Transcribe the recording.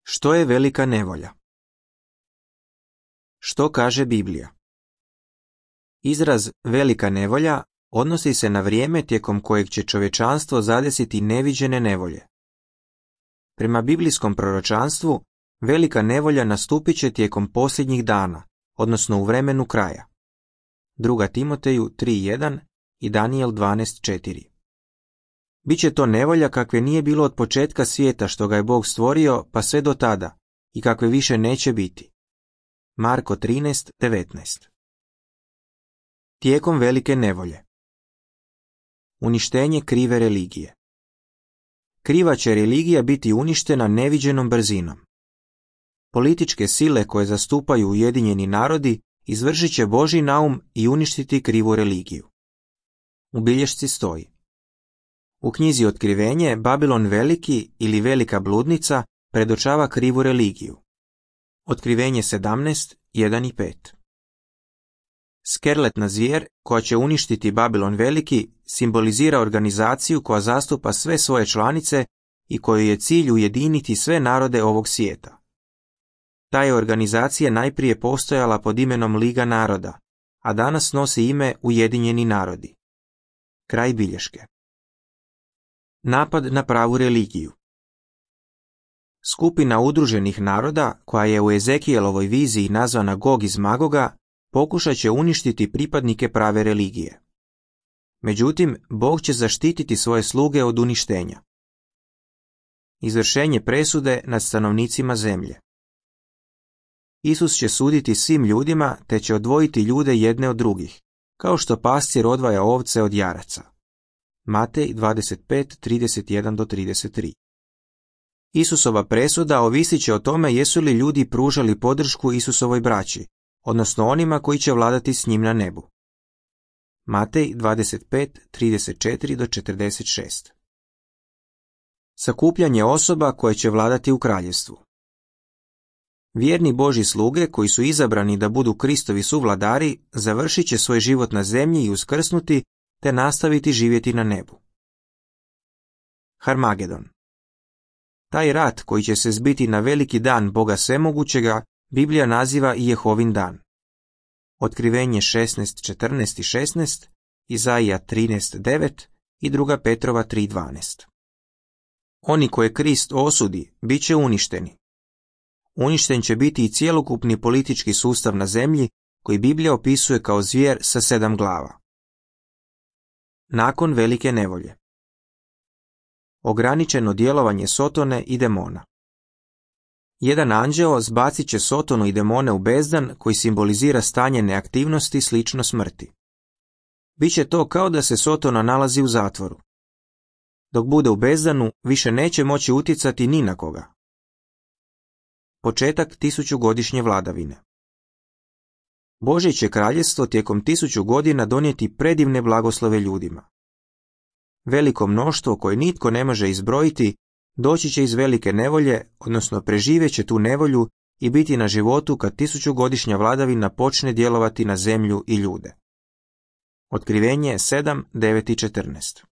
Što je velika nevolja? Što kaže Biblija? Izraz velika nevolja odnosi se na vrijeme tijekom kojeg će čovječanstvo zadesiti neviđene nevolje. Prema biblijskom proročanstvu, velika nevolja nastupit će tijekom posljednjih dana, odnosno u vremenu kraja. 2. Timoteju 3.1 i Danijel 12.4. Biće to nevolja kakve nije bilo od početka svijeta što ga je Bog stvorio pa sve do tada i kakve više neće biti. Marko 13.19. Tijekom velike nevolje. Uništenje krive religije. Kriva će religija biti uništena neviđenom brzinom. Političke sile koje zastupaju Ujedinjeni narodi izvršit će Božji naum i uništiti krivu religiju. U bilješci stoji: u knjizi Otkrivenje Babilon veliki ili velika bludnica predočava krivu religiju. Otkrivenje 17.1 i 5. Skerletna zvijer koja će uništiti Babilon veliki simbolizira organizaciju koja zastupa sve svoje članice i kojoj je cilj ujediniti sve narode ovog svijeta. Ta je organizacija najprije postojala pod imenom Liga naroda, a danas nosi ime Ujedinjeni narodi. Kraj bilješke. Napad na pravu religiju. Skupina udruženih naroda, koja je u Ezekielovoj viziji nazvana Gog iz Magoga, pokušat će uništiti pripadnike prave religije. Međutim, Bog će zaštititi svoje sluge od uništenja. Izvršenje presude nad stanovnicima zemlje. Isus će suditi svim ljudima te će odvojiti ljude jedne od drugih, kao što pastir odvaja ovce od jaraca. Matej 25.31-33. Isusova presuda ovisit će o tome jesu li ljudi pružali podršku Isusovoj braći, odnosno onima koji će vladati s njim na nebu. Matej 25.34-46. Sakupljanje osoba koje će vladati u kraljevstvu. Vjerni Božji sluge koji su izabrani da budu Kristovi suvladari završit će svoj život na zemlji i uskrsnuti te nastaviti živjeti na nebu. Harmagedon. Taj rat koji će se zbiti na veliki dan Boga Svemogućega Biblija naziva i Jehovin dan. Otkrivenje 16.14 i 16, Izaija 13.9 i 2. Petrova 3.12. Oni koje Krist osudi bit će uništeni. Uništen će biti i cjelokupni politički sustav na zemlji koji Biblija opisuje kao zvijer sa 7 glava. Nakon velike nevolje. Ograničeno djelovanje Sotone i demona. Jedan anđeo zbacit će Sotonu i demone u bezdan koji simbolizira stanje neaktivnosti slično smrti. Biće to kao da se Sotona nalazi u zatvoru. Dok bude u bezdanu, više neće moći utjecati ni na koga. Početak 1000-godišnje vladavine. Božje će kraljevstvo tijekom 1000 godina donijeti predivne blagoslove ljudima. Veliko mnoštvo koje nitko ne može izbrojiti doći će iz velike nevolje, odnosno preživjet će tu nevolju i biti na životu kad 1000-godišnja vladavina počne djelovati na zemlju i ljude. Otkrivenje 7, 9 i 14.